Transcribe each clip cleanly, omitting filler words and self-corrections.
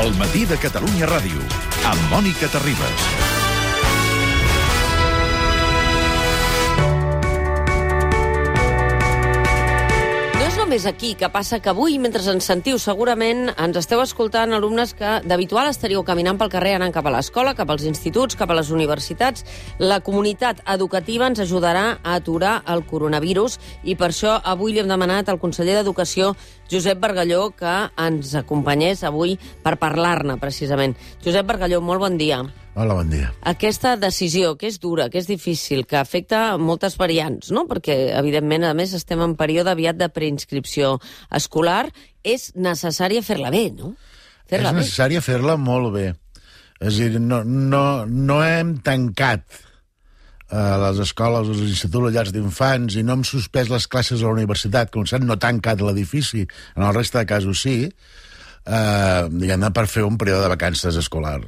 El matí de Catalunya Ràdio, amb Mònica Terribas. No és només aquí que passa que avui, mentre ens sentiu, segurament ens esteu escoltant alumnes que d'habitual estaríeu caminant pel carrer anant cap a l'escola, cap als instituts, cap a les universitats. La comunitat educativa ens ajudarà a aturar el coronavirus i per això avui li hem demanat al conseller d'Educació, Josep Bargalló, que ens acompanyés avui per parlar-ne, precisament. Josep Bargalló, molt bon dia. Hola, bon dia. Aquesta decisió, que és dura, que és difícil, que afecta moltes variants, no? Perquè, evidentment, a més, estem en període aviat de preinscripció escolar, és necessària fer-la bé, no? És necessària fer-la molt bé. És a dir, no hem tancat les escoles, els instituts, les llars d'infants, i no hem suspès les classes a la universitat, com sap, no ha tancat l'edifici, en el reste de casos sí, diguem-ne, per fer un període de vacances escolar.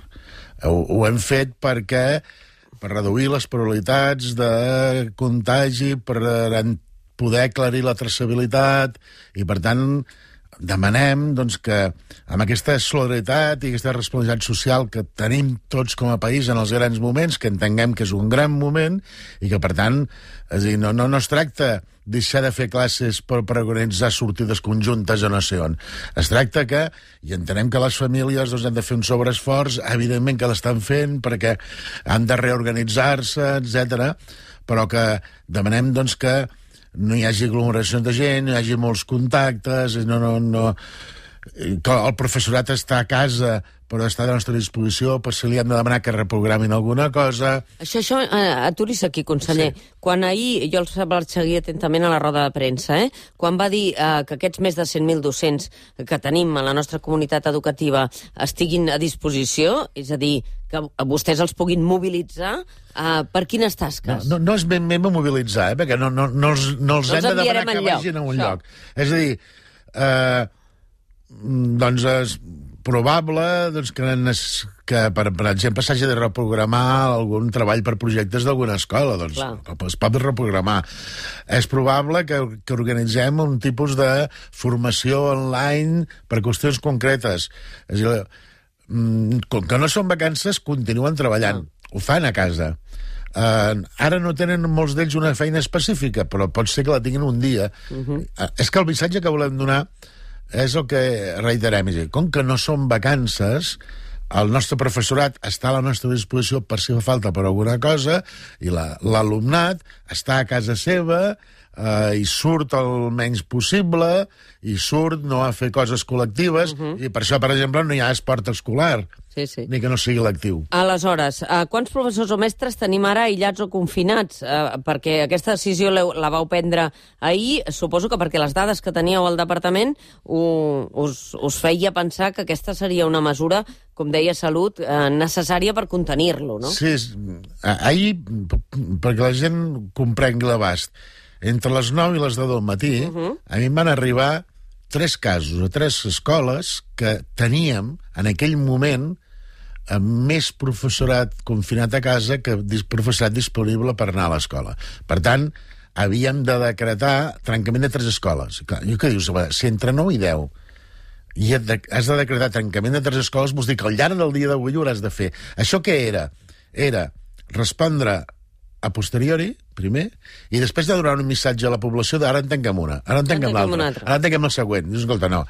Ho hem fet per reduir les probabilitats de contagi, per poder aclarir la traçabilitat, i per tant demanem doncs, que amb aquesta solidaritat i aquesta responsabilitat social que tenim tots com a país en els grans moments, que entenguem que és un gran moment i que, per tant, és a dir, no es tracta deixar de fer classes per organitzar sortides conjuntes a no sé on. Es tracta que, i entenem que les famílies doncs, han de fer un sobreesforç, evidentment que l'estan fent perquè han de reorganitzar-se, etc. Però que demanem doncs, que no hi hagi aglomeracions de gent, no hi hagi molts contactes, que el professorat està a casa però està a la nostra disposició per si li hem de demanar que reprogramin alguna cosa. Això aturis aquí, conseller. Sí. Quan ahir, jo els vaig seguir atentament a la roda de premsa, quan va dir que aquests més de 100.000 docents que tenim a la nostra comunitat educativa estiguin a disposició, és a dir, que vostès els puguin mobilitzar, per quines tasques? No és ben mobilitzar, perquè no els hem de demanar que vagin a un lloc. És a dir, doncs és probable que per exemple, s'hagi de reprogramar algun treball per projectes d'alguna escola, doncs es pot reprogramar. És probable que organitzem un tipus de formació online per qüestions concretes. És a dir, com que no són vacances, continuen treballant. Ho fan a casa. Ara no tenen molts d'ells una feina específica, però pot ser que la tinguin un dia. És que el missatge que volem donar és el que reiterem. Com que no són vacances, el nostre professorat està a la nostra disposició per si fa falta per alguna cosa, i l'alumnat està a casa seva i surt el menys possible, i surt no a fer coses col·lectives, i per això, per exemple, no hi ha esport escolar, ni que no sigui lectiu. Aleshores, quants professors o mestres tenim ara aïllats o confinats? Perquè aquesta decisió la vau prendre ahir, suposo que perquè les dades que teníeu al departament us feia pensar que aquesta seria una mesura, com deia Salut, necessària per contenir-lo, no? Sí, ahir, perquè la gent comprengui l'abast, entre les 9 i les 10 del matí, a mi em van arribar 3 casos a 3 escoles que teníem, en aquell moment, més professorat confinat a casa que professorat disponible per anar a l'escola. Per tant, havíem de decretar trencament de 3 escoles. I què dius? Si entre 9 i 10 i has de decretar trencament de 3 escoles, vols dir que al llarg del dia d'avui ho hauràs de fer. Això què era? Era respondre a posteriori, primer, i després de donar un missatge a la població d'ara en tanquem una, ara en tanquem l'altra, ara en tanquem la següent. Dius, escolta, no.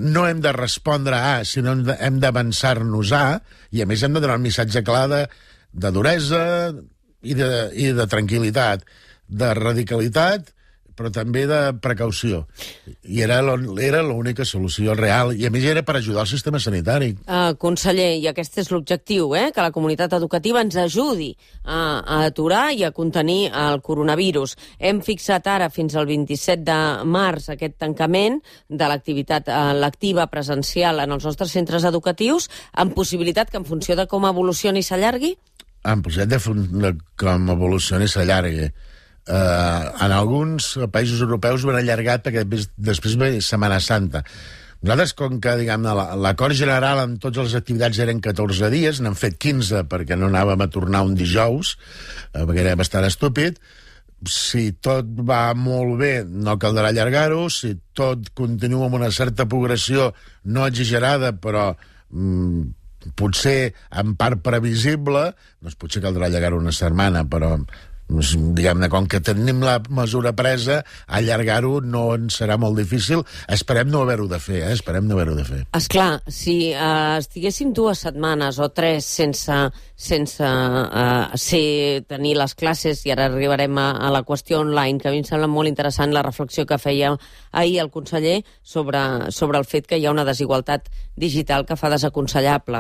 No hem de respondre a, sinó hem d'avançar-nos a, i a més hem de donar un missatge clar de duresa i de tranquil·litat, de radicalitat, però també de precaució. I era l'única solució real, i a més era per ajudar el sistema sanitari. Conseller, i aquest és l'objectiu, que la comunitat educativa ens ajudi a aturar i a contenir el coronavirus. Hem fixat ara fins al 27 de març aquest tancament de l'activitat lectiva presencial en els nostres centres educatius, amb possibilitat que en funció de com evolucioni s'allargui? En possibilitat de com evolucioni s'allargui. En alguns països europeus ho han allargat perquè després ve Setmana Santa. Nosaltres, com que l'acord general en totes les activitats eren 14 dies, n'han fet 15 perquè no anàvem a tornar un dijous, perquè era bastant estúpid. Si tot va molt bé, no caldrà allargar-ho. Si tot continua amb una certa progressió, no exagerada, però potser en part previsible, doncs potser caldrà allargar-ho una setmana, però diguem-ne, com que tenim la mesura presa, allargar-ho no ens serà molt difícil. Esperem no haver-ho de fer, esperem no haver-ho de fer. Esclar, si estiguéssim 2 setmanes o 3 sense tenir les classes, i ara arribarem a la qüestió online, que a mi em sembla molt interessant la reflexió que feia ahir el conseller sobre el fet que hi ha una desigualtat digital que fa desaconsellable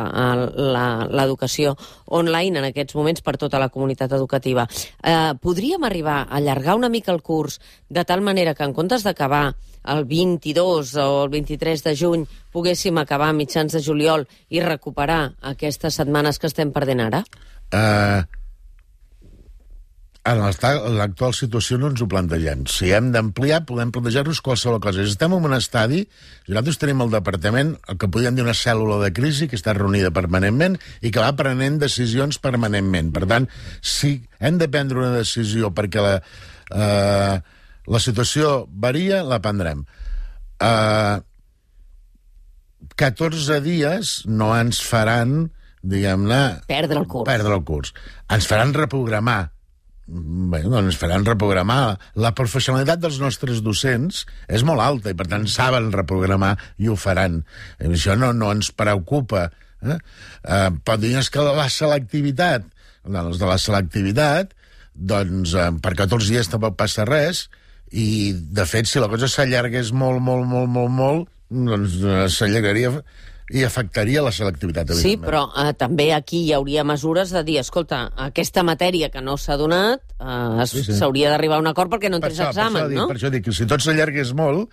l'educació online en aquests moments per tota la comunitat educativa. Podríem arribar a allargar una mica el curs de tal manera que en comptes d'acabar el 22 o el 23 de juny poguéssim acabar a mitjans de juliol i recuperar aquestes setmanes que estem perdent ara? En l'actual situació no ens ho plantegem. Si hem d'ampliar, podem plantejar-nos qualsevol cosa. Si estem en un estadi, nosaltres tenim al departament el que podríem dir una cèl·lula de crisi que està reunida permanentment i que va prenent decisions permanentment. Per tant, si hem de prendre una decisió perquè la situació varia, la prendrem. 14 dies no ens faran, diguem-ne... Perdre el curs. Ens faran reprogramar. Bé, doncs faran reprogramar. La professionalitat dels nostres docents és molt alta i, per tant, saben reprogramar i ho faran. I això no ens preocupa. Pot dir que la selectivitat, els de la selectivitat, doncs per 14 dies tampoc passa res i, de fet, si la cosa s'allargués molt, doncs s'allargaria i afectaria la selectivitat, evidentment. Sí, però també aquí hi hauria mesures de dir, escolta, aquesta matèria que no s'ha donat s'hauria d'arribar a un acord perquè no entrés examen, no? Per això dic que si tot s'allargués molt,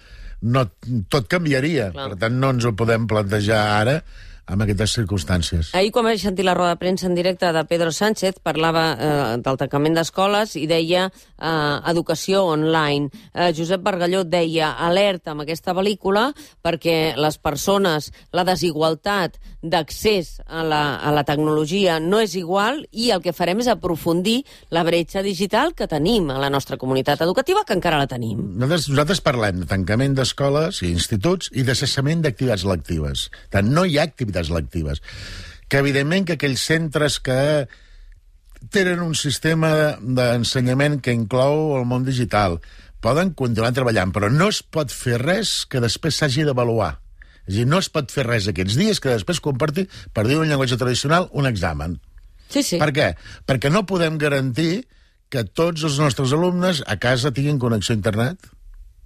tot canviaria. Clar. Per tant, no ens ho podem plantejar ara en aquestes circumstàncies. Ahir, quan vaig sentir la roda de premsa en directe de Pedro Sánchez, parlava del tancament d'escoles i deia educació online. Josep Bargalló deia alerta amb aquesta pel·lícula perquè les persones, la desigualtat d'accés a la tecnologia no és igual i el que farem és aprofundir la bretxa digital que tenim a la nostra comunitat educativa, que encara la tenim. Nosaltres parlem de tancament d'escoles i instituts i de cessament d'activitats lectives. Tant no hi ha activitats lectives. Que, evidentment, que aquells centres que tenen un sistema d'ensenyament que inclou el món digital poden continuar treballant, però no es pot fer res que després s'hagi d'avaluar. És a dir, no es pot fer res aquests dies que després comporti, per dir un llenguatge tradicional, un examen. Sí. Per què? Perquè no podem garantir que tots els nostres alumnes a casa tinguin connexió a internet.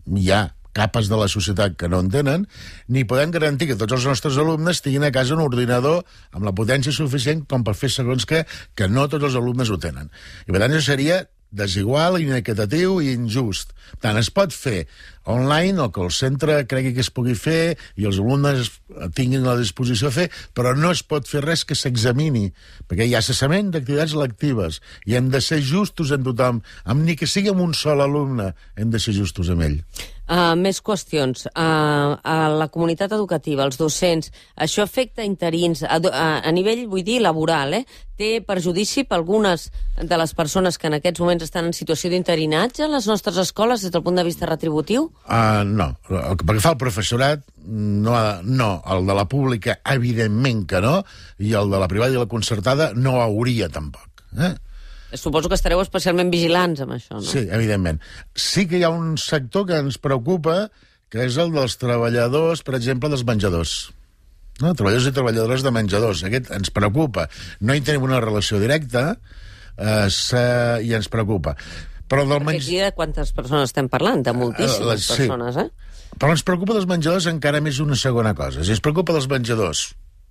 Hi ha capes de la societat que no en tenen, ni podem garantir que tots els nostres alumnes tinguin a casa un ordinador amb la potència suficient com per fer segons que no tots els alumnes ho tenen. I per tant, això seria desigual, inequitatiu i injust. Tant es pot fer online, el que el centre cregui que es pugui fer i els alumnes tinguin a la disposició a fer, però no es pot fer res que s'examini, perquè hi ha cessament d'activitats lectives i hem de ser justos amb tothom. Ni que sigui amb un sol alumne, hem de ser justos amb ell. Més qüestions. A la comunitat educativa, els docents, això afecta interins a nivell, vull dir, laboral, Té perjudici per algunes de les persones que en aquests moments estan en situació d'interinatge a les nostres escoles des del punt de vista retributiu? No. Perquè fa el professorat, no. El de la pública, evidentment que no, i el de la privada i la concertada no hauria tampoc. Suposo que estareu especialment vigilants amb això, no? Sí, evidentment. Sí que hi ha un sector que ens preocupa, que és el dels treballadors, per exemple, dels menjadors. No? Treballadors i treballadores de menjadors. Aquest ens preocupa. No hi tenim una relació directa i ens preocupa. Però perquè aquí de quantes persones estem parlant? De moltíssimes persones, Però ens preocupa dels menjadors encara més una segona cosa. Si ens preocupa dels menjadors,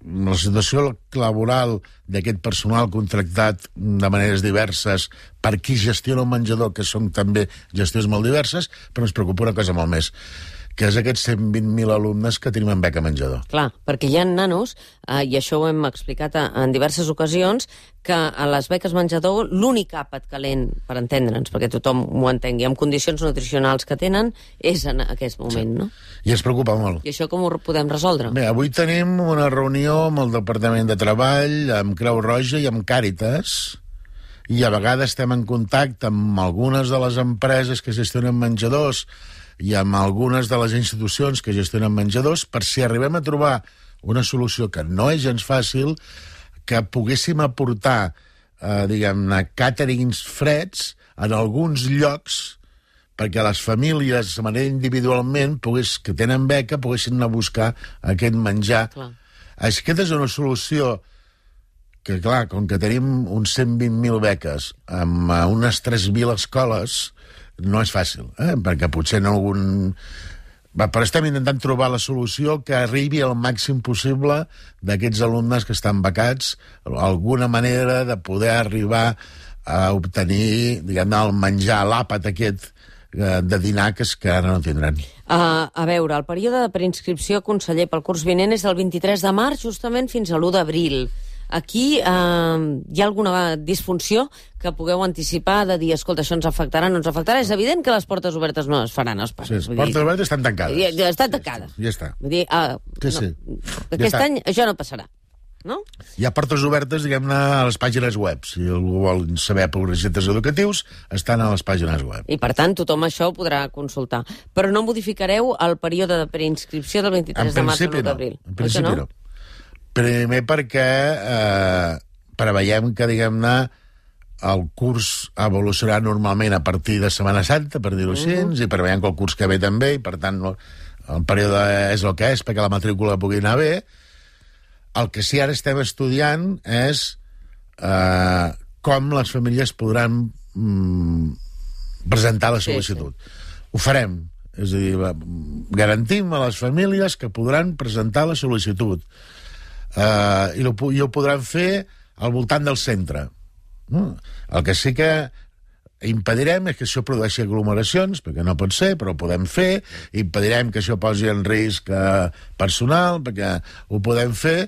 la situació laboral d'aquest personal contractat de maneres diverses per qui gestiona un menjador, que són també gestions molt diverses, però ens preocupa una cosa molt més, que és aquests 120.000 alumnes que tenim en beca menjador. Clar, perquè hi ha nanos, i això ho hem explicat en diverses ocasions, que a les beques menjador l'únic àpat calent, per entendre'ns, perquè tothom ho entengui, amb condicions nutricionals que tenen, és en aquest moment, no? I ens preocupa molt. I això com ho podem resoldre? Bé, avui tenim una reunió amb el Departament de Treball, amb Creu Roja i amb Càritas, i a vegades estem en contacte amb algunes de les empreses que gestionen menjadors i amb algunes de les institucions que gestionen menjadors per si arribem a trobar una solució que no és gens fàcil, que poguéssim aportar, diguem-ne, càterings freds en alguns llocs perquè les famílies, de manera individualment, que tenen beca, poguessin anar a buscar aquest menjar. Clar. Aquesta és una solució que, clar, com que tenim uns 120.000 beques amb unes 3.000 escoles, no és fàcil, perquè potser en algun... Però estem intentant trobar la solució que arribi al màxim possible d'aquests alumnes que estan becats, alguna manera de poder arribar a obtenir, diguem-ne, el menjar, l'àpat aquest de dinar que ara no tindran. A veure, el període de preinscripció, conseller, pel curs vinent és del 23 de març justament fins a l'1 d'abril. Aquí hi ha alguna disfunció que pugueu anticipar de dir, escolta, això ens afectarà, no ens afectarà? És evident que les portes obertes no es faran els pares. Sí, les portes obertes estan tancades. Ja estan tancades. Ja està. Vull dir, sí. Aquest any això no passarà. No? Hi ha portes obertes, diguem-ne, a les pàgines web. Si algú vol saber projectes educatius, estan a les pàgines web. I, per tant, tothom això ho podrà consultar. Però no modificareu el període de preinscripció del 23 de març a l'1 d'abril? En principi no. Primer perquè preveiem que, diguem-ne, el curs evolucionarà normalment a partir de Setmana Santa, per dir-ho així, i preveiem que el curs que ve també, i per tant el període és el que és perquè la matrícula pugui anar bé. El que sí ara estem estudiant és com les famílies podran presentar la sol·licitud. Ho farem. És a dir, garantim a les famílies que podran presentar la sol·licitud. I ho podran fer al voltant del centre. El que sí que impedirem és que això produeixi aglomeracions, perquè no pot ser, però ho podem fer. Impedirem que això posi en risc personal, perquè ho podem fer.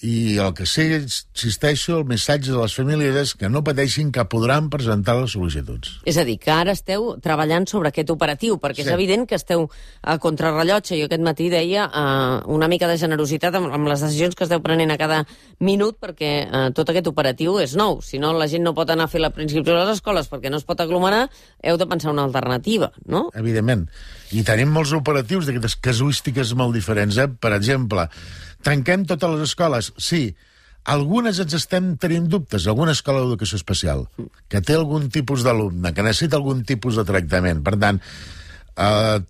I el que sí, insisteixo, el missatge de les famílies és que no pateixin, que podran presentar les sol·licituds. És a dir, que ara esteu treballant sobre aquest operatiu, perquè és evident que esteu a contrarrellotge. Jo aquest matí deia una mica de generositat amb les decisions que esteu prenent a cada minut, perquè tot aquest operatiu és nou. Si no, la gent no pot anar a fer la preinscripció a les escoles perquè no es pot aglomerar, heu de pensar una alternativa, no? Evidentment. I tenim molts operatius d'aquestes casuístiques molt diferents. Per exemple, tanquem totes les escoles? Sí. Algunes ens estem tenint dubtes. Alguna escola d'educació especial que té algun tipus d'alumne, que necessita algun tipus de tractament. Per tant,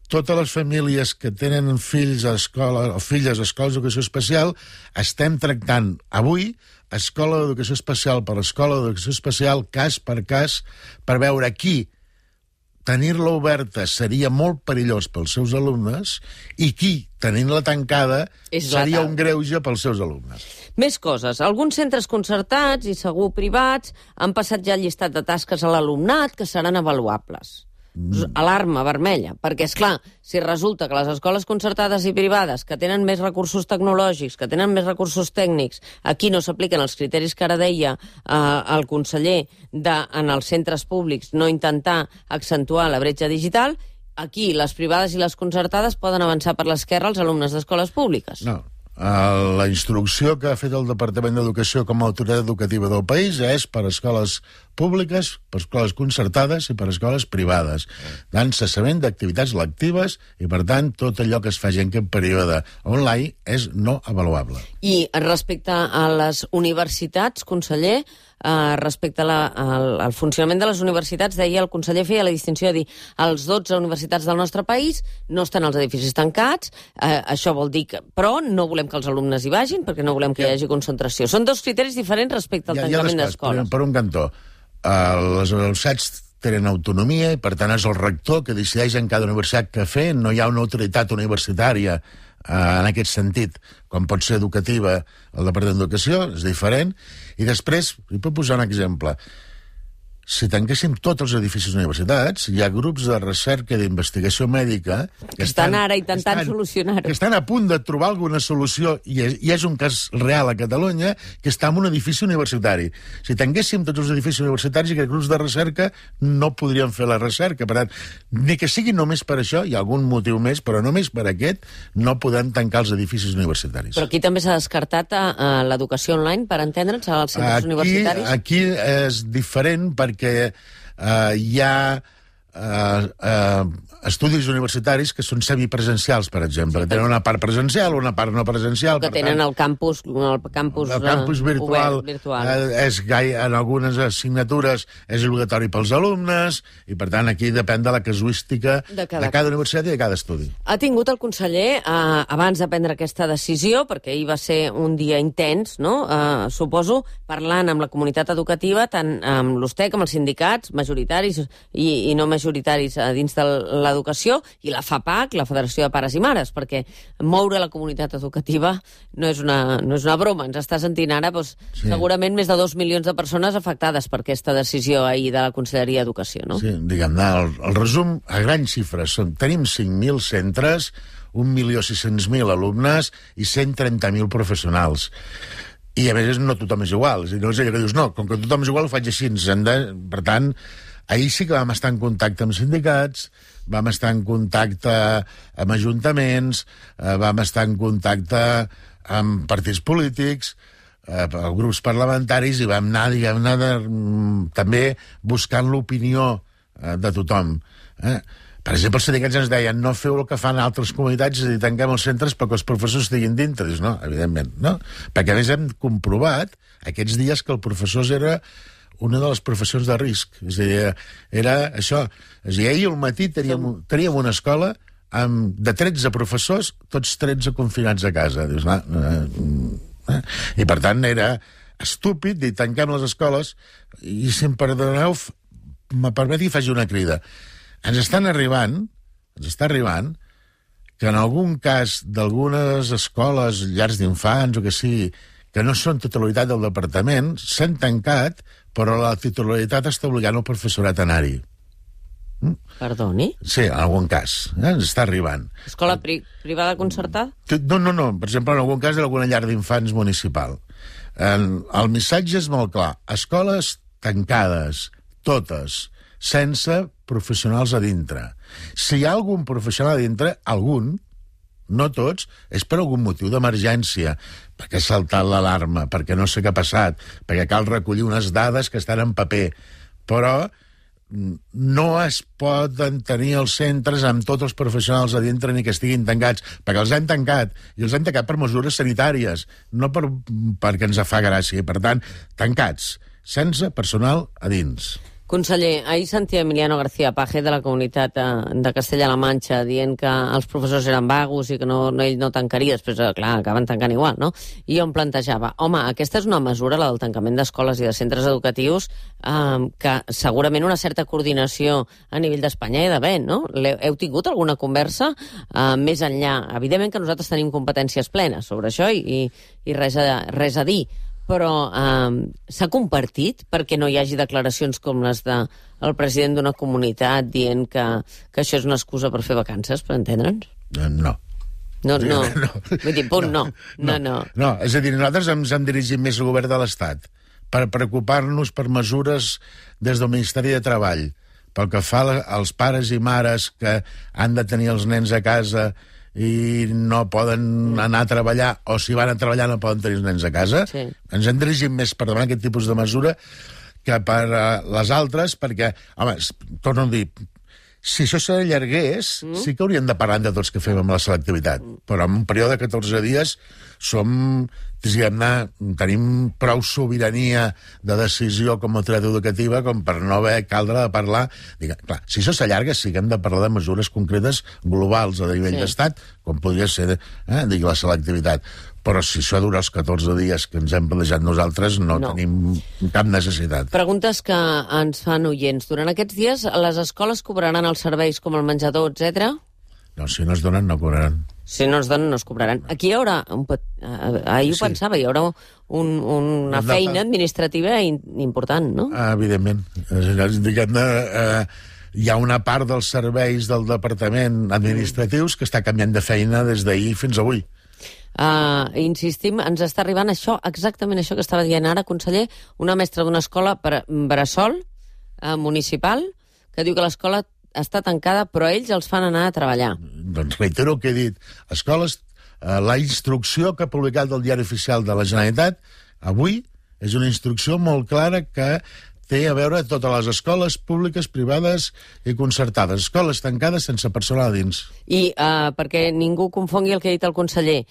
totes les famílies que tenen fills a escola, o filles a escoles d'educació especial, estem tractant avui escola d'educació especial per escola d'educació especial, cas per cas, per veure qui tenir-la oberta seria molt perillós pels seus alumnes i qui, tenint-la tancada, seria un greuge pels seus alumnes. Més coses. Alguns centres concertats i segur privats han passat ja el llistat de tasques a l'alumnat que seran avaluables. Alarma vermella, perquè, és clar, si resulta que les escoles concertades i privades que tenen més recursos tecnològics, que tenen més recursos tècnics, aquí no s'apliquen els criteris que ara deia el conseller en els centres públics no intentar accentuar la bretxa digital, aquí les privades i les concertades poden avançar per l'esquerra els alumnes d'escoles públiques. No. La instrucció que ha fet el Departament d'Educació com a autoritat educativa del país és per escoles públiques, per escoles concertades i per escoles privades. Dan cessament d'activitats lectives i, per tant, tot allò que es faci en aquest període online és no avaluable. I respecte a les universitats, conseller, respecte al funcionament de les universitats, deia el conseller, feia la distinció de dir els 12 universitats del nostre país no estan als edificis tancats, això vol dir que... Però no volem que els alumnes hi vagin perquè no volem que hi hagi concentració. Són dos criteris diferents respecte al tancament d'escoles. Per un cantó, les universitats tenen autonomia i, per tant, és el rector que decideix en cada universitat què fer. No hi ha una autoritat universitària en aquest sentit, com pot ser educativa el Departament d'Educació, és diferent. I després, li puc posar un exemple. Si tanquéssim tots els edificis universitats, hi ha grups de recerca i d'investigació mèdica que estan ara intentant solucionar-ho. Que estan a punt de trobar alguna solució, i és un cas real a Catalunya, que està en un edifici universitari. Si tanquéssim tots els edificis universitaris, aquests grups de recerca no podrien fer la recerca. Per tant, ni que sigui només per això, hi ha algun motiu més, però només per aquest no podem tancar els edificis universitaris. Però aquí també s'ha descartat l'educació online, per entendre'ns, als centres universitaris? Aquí és diferent perquè hi ha estudis universitaris que són semipresencials, per exemple. Sí, tenen una part presencial, una part no presencial. Que tenen el campus virtual. És en algunes assignatures és obligatori pels alumnes, i per tant aquí depèn de la casuística de cada universitat i de cada estudi. Ha tingut el conseller, abans de prendre aquesta decisió, perquè ahir va ser un dia intens, no? Suposo, parlant amb la comunitat educativa, tant amb l'USTE com els sindicats, majoritaris i no majoritaris dins de l'educació, i la FAPAC, la Federació de Pares i Mares, perquè moure la comunitat educativa no és una broma. Ens està sentint ara segurament més de 2 milions de persones afectades per aquesta decisió ahir de la Conselleria d'Educació, no? Sí, diguem-ne, el resum a grans xifres tenim 5.000 centres, 1.600.000 alumnes i 130.000 professionals. I a més no tothom és igual. No és allò que dius, no, com que tothom és igual ho faig així. Per tant, ahir sí que vam estar en contacte amb sindicats, vam estar en contacte amb ajuntaments, vam estar en contacte amb partits polítics, grups parlamentaris, i vam anar, també buscant l'opinió de tothom. Per exemple, els sindicats ens deien no feu el que fan altres comunitats, és a dir, tanquem els centres perquè els professors estiguin dintre. Dius, no, evidentment, no. Perquè a més hem comprovat aquests dies que el professor era una de les professions de risc. És a dir, era això. És a dir, ahir al matí teníem una escola de 13 professors, tots 13 confinats a casa. Dius, I per tant era estúpid dir tanquem les escoles, i si em perdoneu, me permeti que faci una crida. Ens està arribant que en algun cas d'algunes escoles, llars d'infants o que sigui, que no són titularitat del departament, s'han tancat, però la titularitat està obligant el professorat a anar-hi. Perdoni? Sí, en algun cas. Ens està arribant. Escola privada concertada? No. Per exemple, en algun cas d'alguna llar d'infants municipal. El missatge és molt clar. Escoles tancades, totes, sense professionals a dintre. Si hi ha algun professional a dintre, algun, no tots, és per algun motiu d'emergència, perquè ha saltat l'alarma, perquè no sé què ha passat, perquè cal recollir unes dades que estan en paper. Però no es poden tenir els centres amb tots els professionals a dintre ni que estiguin tancats, perquè els han tancat, i els han tancat per mesures sanitàries, no perquè ens fa gràcia. Per tant, tancats, sense personal a dins. Conseller, ahir sentia Emiliano García Paje de la comunitat de Castella-La Manxa dient que els professors eren vagos i que ell no tancaria, després, clar, acaben tancant igual, no? I jo em plantejava, home, aquesta és una mesura, la del tancament d'escoles i de centres educatius, que segurament una certa coordinació a nivell d'Espanya hi ha d'haver, no? Heu tingut alguna conversa més enllà? Evidentment que nosaltres tenim competències plenes sobre això i res a dir, però s'ha compartit perquè no hi hagi declaracions com les del president d'una comunitat dient que això és una excusa per fer vacances, per entendre'ns? No. No. Vull dir, punt, no. No, és a dir, nosaltres ens hem dirigit més al govern de l'Estat per preocupar-nos per mesures des del Ministeri de Treball, pel que fa als pares i mares que han de tenir els nens a casa i no poden anar a treballar, o si van a treballar no poden tenir els nens a casa. Sí. Ens hem dirigit més per demanar aquest tipus de mesura que per les altres, perquè, home, torno a dir, si això s'allargués, sí que hauríem de parlar de tots que fem amb la selectivitat, però en un període de 14 dies tenim prou sobirania de decisió com a autoritat educativa com per no haver caldre de parlar. Clar, si això s'allarga, sí que hem de parlar de mesures concretes globals a nivell d'estat, com podria ser la selectivitat. Però si això dura els 14 dies que ens hem plantejat nosaltres, no tenim cap necessitat. Preguntes que ens fan oients. Durant aquests dies, les escoles cobraran els serveis com el menjador, etc? No, si no es donen, no cobraran. Si no es donen, no es cobraran. Aquí hi haurà, ahir ho pensava, hi haurà una feina administrativa important, no? Evidentment. Diguem-ne, hi ha una part dels serveis del departament administratius que està canviant de feina des d'ahir fins avui. Insistim, ens està arribant això, exactament això que estava dient ara, conseller, una mestra d'una escola bressol municipal que diu que l'escola està tancada, però ells els fan anar a treballar. Doncs reitero el que he dit. Escoles, la instrucció que ha publicat el Diari Oficial de la Generalitat avui és una instrucció molt clara que té a veure totes les escoles públiques, privades i concertades. Escoles tancades sense personal a dins. I perquè ningú confongui el que ha dit el conseller,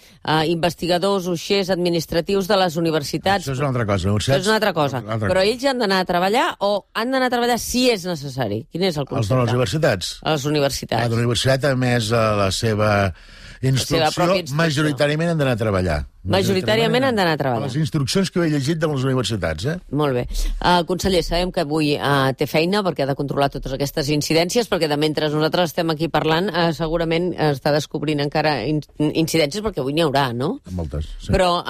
investigadors, uixers, administratius de les universitats... Això és una altra cosa. Això és una altra cosa. Però ells han d'anar a treballar o han d'anar a treballar si és necessari? Quin és el concepte? Els de les universitats. A les universitats. La universitat ha emès la seva instrucció, majoritàriament han d'anar a treballar. Majoritàriament han d'anar a treballar. Les instruccions que he llegit de les universitats, Molt bé. Conseller, sabem que avui té feina perquè ha de controlar totes aquestes incidències, perquè de mentre nosaltres estem aquí parlant, segurament està descobrint encara incidències, perquè avui n'hi haurà, no? Moltes, sí. Però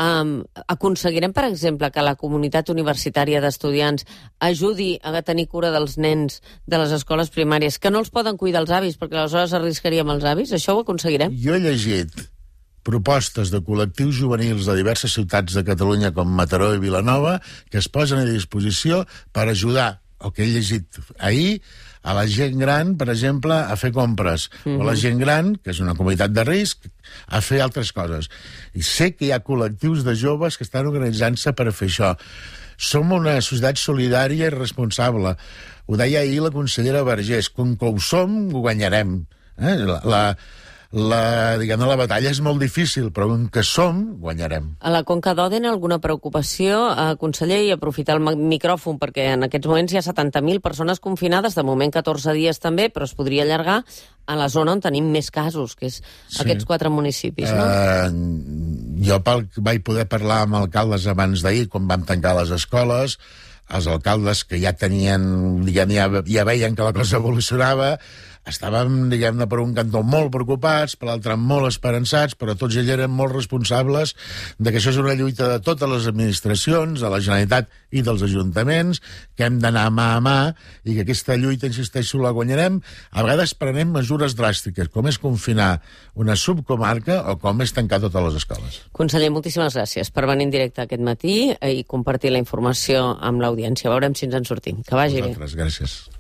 aconseguirem, per exemple, que la comunitat universitària d'estudiants ajudi a tenir cura dels nens de les escoles primàries, que no els poden cuidar els avis, perquè aleshores arriscaríem els avis? Això ho aconseguirem? Jo he llegit propostes de col·lectius juvenils de diverses ciutats de Catalunya com Mataró i Vilanova que es posen a disposició per ajudar, el que he llegit ahir, a la gent gran, per exemple, a fer compres, o a la gent gran, que és una comunitat de risc, a fer altres coses. I sé que hi ha col·lectius de joves que estan organitzant-se per fer això. Som una societat solidària i responsable. Ho deia ahir la consellera Vergés. Com que ho som, ho guanyarem. La batalla és molt difícil, però com que som, guanyarem. A la Conca d'Òdena, alguna preocupació, conseller, i aprofitar el micròfon, perquè en aquests moments hi ha 70.000 persones confinades, de moment 14 dies també, però es podria allargar a la zona on tenim més casos, que és aquests 4 municipis, no? Jo vaig poder parlar amb alcaldes abans d'ahir, quan vam tancar les escoles, els alcaldes que ja tenien, ja veien que la cosa evolucionava, estàvem, diguem-ne, per un cantó molt preocupats, per l'altre molt esperançats, però tots ells eren molt responsables de que això és una lluita de totes les administracions, de la Generalitat i dels ajuntaments, que hem d'anar mà a mà i que aquesta lluita, insisteixo, la guanyarem. A vegades prenem mesures dràstiques, com és confinar una subcomarca o com és tancar totes les escoles. Conseller, moltíssimes gràcies per venir en directe aquest matí i compartir la informació amb l'audiència. Veurem si ens en sortim. Que vagi bé. Gràcies.